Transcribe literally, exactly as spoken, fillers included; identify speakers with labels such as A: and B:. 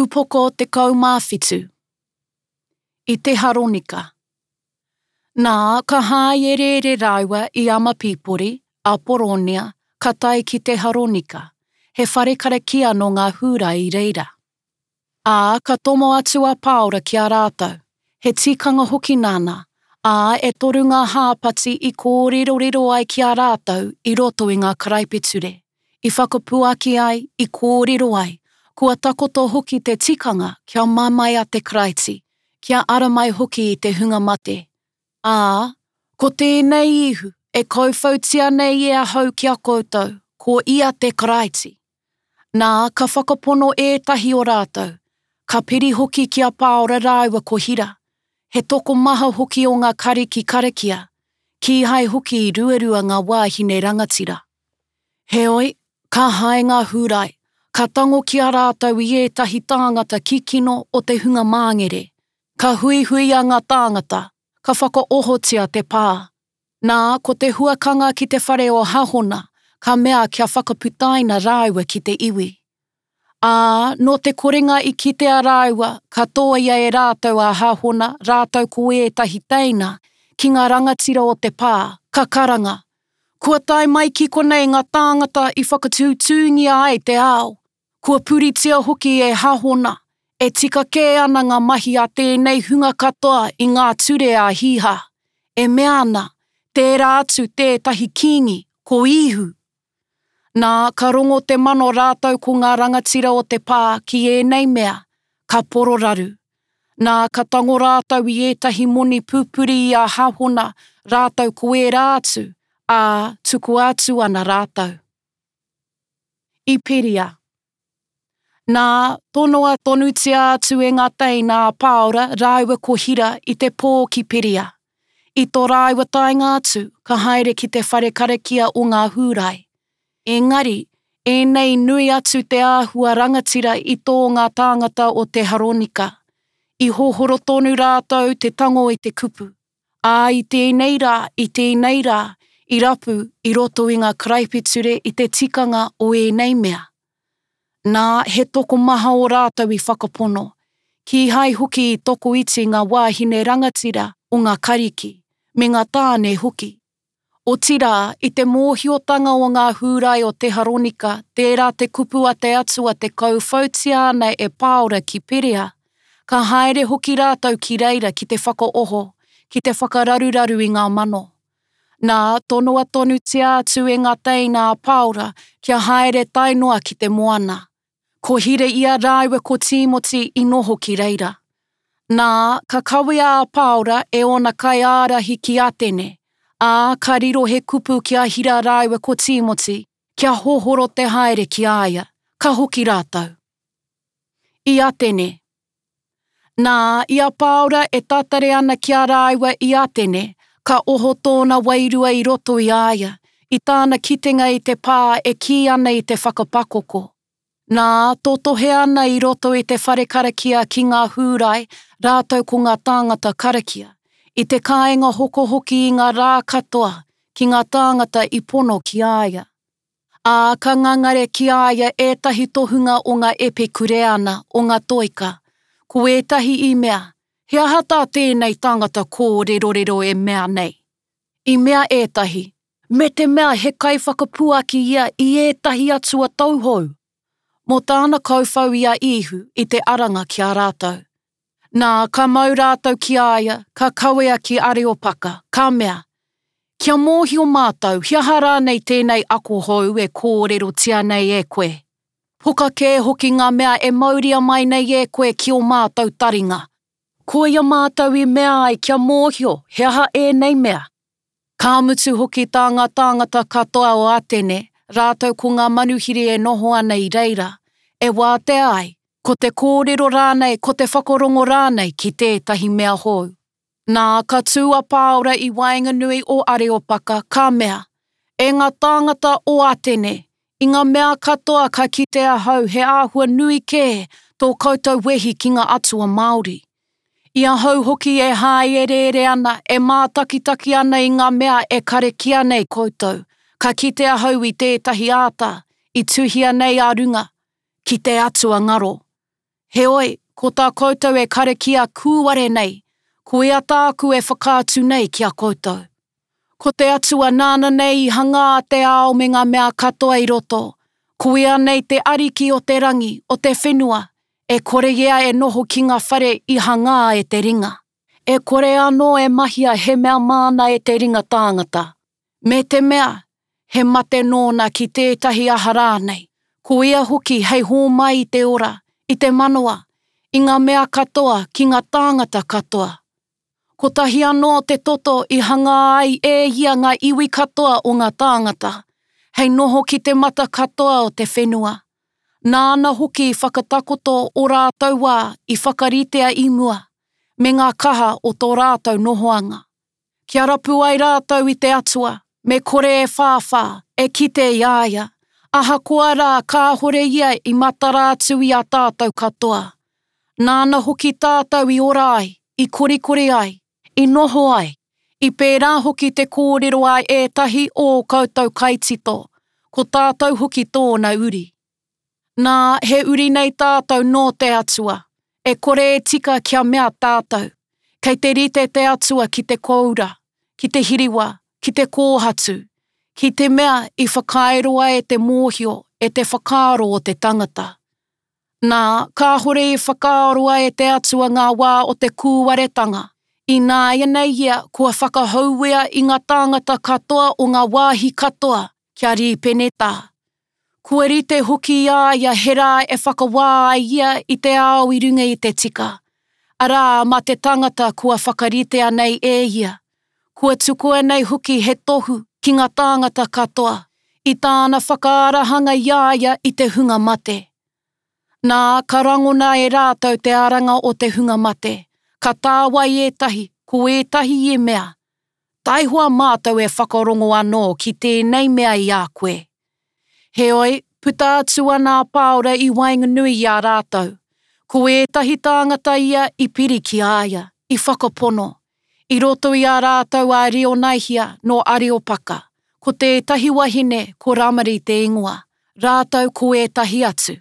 A: Upoko tekau mā whitu. I Teharonika. Nā, ka hāereere rāua i Amapipori, a Poronia, ka tae ki Teharonika, he whare karakia nō ngā Hūrai i reira. Ā, ka tomo atu a Pāora ki a rātou, he tikanga hoki nāna, ā, e toru ngā hāpati i kōrerorero ai ki a rātou i roto i ngā karaipiture, i whakapuaki ai, i kōrero ai, kua takoto hoki te tikanga kia mamae a te Karaiti, kia ara mai hoki i te hunga mate. Ā, ko tēnei Īhu e kauwhautia nei e ahau ki a koutou, ko ia te Karaiti. Nā, ka whakapono ētahi o rātou, ka piri hoki ki a Pāora rāua ko Hira, he tokomaha hoki o ngā kariki karakia, kīhai hoki i ruarua ngā wāhine rangatira. Heoi, ka hae ngā Hūrai, ka tango ki a rātou i ētahi tāngata kikino o te hunga māngere, ka huihuia ngā tāngata, ka whakaohotia te pā. Nā, ko te huakanga ki te whare o Hahona, ka mea kia whakaputaina rāua ki te iwi. Ā, nō te korenga i kitea rāua, ka tōia e rātou a Hahona rātou ko ētahi teina, ki ngā rangatira o te pā, ka karanga, Kua tae mai ki konei ngā tāngata i whakatūtūngia ai te ao, kua puritia hoki e Hahona, e tika kē ana ngā mahi a tēnei hunga katoa i ngā ture a Hīhā, e mea ana, tērā atu tētahi kīngi, ko Īhu. Nā, ka rongo te mano rātou ko ngā rangatira o te pā ki ēnei mea, ka pororaru. Nā, ka tango rātou i ētahi moni pupuri i a Hahona rātou ko ērā atu, ā, tukua atu ana rātou. I Peria. Nā, tonoa tonutia atu e ngā teina a Pāora rāua ko Hira i te pō ki Peria. I tō rāua taenga atu, ka haere ki te whare karakia o ngā Hūrai. Engari, ēnei nui atu te āhua rangatira i tō ngā tāngata o Teharonika. I hohoro tonu rātou te tango i te kupu. Ā, i tēnei rā, i tēnei rā, i rapu i roto i ngā karaipiture i te tikanga o ēnei mea. Nā, he tokomaha o rātou i whakapono, kīhai hoki i tokoiti ngā wāhine rangatira o ngā Kariki, me ngā tāne hoki. Otirā, i te mōhiotanga o ngā Hūrai o Teharonika, tērā te kupu a te Atua te kauwhautia ana e Pāora ki Perea, ka haere hoki rātou ki reira ki te whakaoho, ki te whakararuraru i ngā mano. Nā, tonoa tonutia atu e ngā teina a Pāora kia haere tae noa ki te moana. Ko Hira ia rāua ko Tīmoti i noho ki reira. Nā, ka kawea a Pāora e ōna kaiārahi ki Atene, ā, ka riro he kupu ki a Hira rāua ko Tīmoti, kia hohoro te haere ki a ia, ka hoki rātou. I Atene. Nā, i a Pāora e tatare ana ki a rāua i Atene, ka oho tōna wairua i roto i a ia, i tāna kitenga i te pā e kī ana i te whakapakoko. Nā, totohe ana i roto i te whare karakia ki ngā Hūrai, rātou ko ngā tāngata karakia, i te kāinga hokohoki i ngā rā katoa, ki ngā tāngata i pono ki a ia. Ā, ka ngangare ki a ia ētahi tohunga o ngā Epikureana, o ngā Toika. Ko ētahi i mea, he aha tā tēnei tangata kōrerorero e mea nei? I mea ētahi, me te mea he kaiwhakapuaki ia i ētahi atua tauhou, mō tāna kauwhau i a Īhu i te aranga ki a rātou. Nā, ka mau rātou ki a ia, ka kawea ki Areopaka, ka mea, Kia mōhio mātou, he aha rānei tēnei ako hou e kōrerotia nei e koe? Poka kē hoki ngā mea e mauria mai nei e koe ki ō mātou taringa. Koia mātou i mea ai kia mōhio he aha ēnei mea. Ka mutu hoki tā ngā tāngata katoa o Atene, rātou ko ngā manuhiri e noho ana i reira, e wātea ai, ko te kōrero rānei, ko te whakarongo rānei ki tētahi mea hou. Nā, ka tū a Pāora i waenganui o Areopaka, ka mea, E ngā tāngata o Atene, i ngā mea katoa ka kite ahau he āhua nui kē tō koutou wehi ki ngā atua Māori. I ahau hoki e hāereere ana, e mātakitaki ana i ngā mea e karakia nei koutou, ka kite ahau i tētahi āta, i tuhia nei a runga, ki te atua ngaro. Heoi, ko tā koutou e karakia kūware nei, koia tāku e whakaatu nei ki a koutou. Ko te Atua nāna nei i hangā te ao me ngā mea katoa i roto, ko ia nei te Ariki o te rangi, o te whenua, e kore ia e noho ki ngā whare i hangā e te ringa. E kore anō e mahia he mea māna e te ringa tāngata. Me te mea, he mate nōna ki tētahi aha rānei, ko ia hoki hei hōmai i te ora, i te manawa, i ngā mea katoa ki ngā tāngata katoa. Kotahi anō te toto i hangā ai e ia ngā iwi katoa o ngā tāngata, hei noho ki te mata katoa o te whenua. Nāna hoki i whakatakoto ō rātou wā i whakaritea i mua, me ngā kaha o tō rātou nohoanga. Kia rapu ai rātou i te Atua, me kore e whāwhā, e kite i a ia, ahakoa rā kāhore ia i matara atu i a tātou katoa. Nāna hoki tātou i ora ai, i korikori ai, i noho ai, i pērā hoki te kōrero a ētahi o ō koutou kaitito, ko tātou hoki tōna uri. Nā, he uri nei tātou nō te Atua, e kore e tika kia mea tātou, kei te rite te Atua ki te kōura, ki te hiriwa, ki te kōhatu, ki te mea i whakaeroa e te mōhio, e te whakaaro o te tangata. Nā, kāhore i whakaaroa e te Atua ngā wā o te kūwaretanga, Ināianei ia kua whakahouea i ngā tāngata katoa o ngā wāhi katoa kia rīpenetā. Kua rite hoki i a ia he rā e whakawā ai ia i te ao i runga i te tika, arā, mā te tangata kua whakaritea nei e ia. Kua tukua nei hoki he tohu ki ngā tāngata katoa, i tāna whakaarahanga i a ia i te hunga mate. Nā, ka rangona e rātou te aranga o te hunga mate. Ka tāwai ētahi, ko ētahi i mea, Taihoa mātou e whakarongo anō ki tēnei mea i a koe. Heoi, puta atu ana a Pāora i waenganui i a rātou. Ko ētahi tāngata ia i piri ki a ia, i whakapono. I roto i a rātou a Rionaihia nō Areopaka, ko tētahi wahine ko Ramari te ingoa, rātou ko ētahi atu.